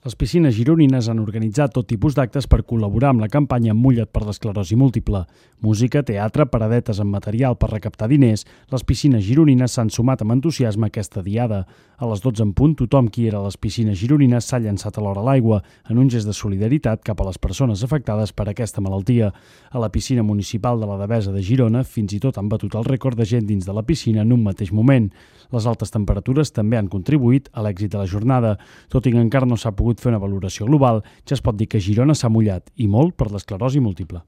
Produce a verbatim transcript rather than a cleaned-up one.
Les piscines gironines han organitzat tot tipus d'actes per col·laborar amb la campanya Mulla't per l'esclerosi múltiple. Música, teatre, paradetes amb material per recaptar diners, les piscines gironines s'han sumat amb entusiasme a aquesta diada. A les dotze en punt, tothom qui era a les piscines gironines s'ha llançat alhora a l'aigua, en un gest de solidaritat cap a les persones afectades per aquesta malaltia. A la piscina municipal de la Devesa de Girona, fins i tot han batut el rècord de gent dins de la piscina en un mateix moment. Les altes temperatures també han contribuït a l'èxit de la jornada. Tot i que encara no s'ha pogut fer una valoració global, ja es pot dir que Girona s'ha mullat, i molt, per l'esclerosi múltiple.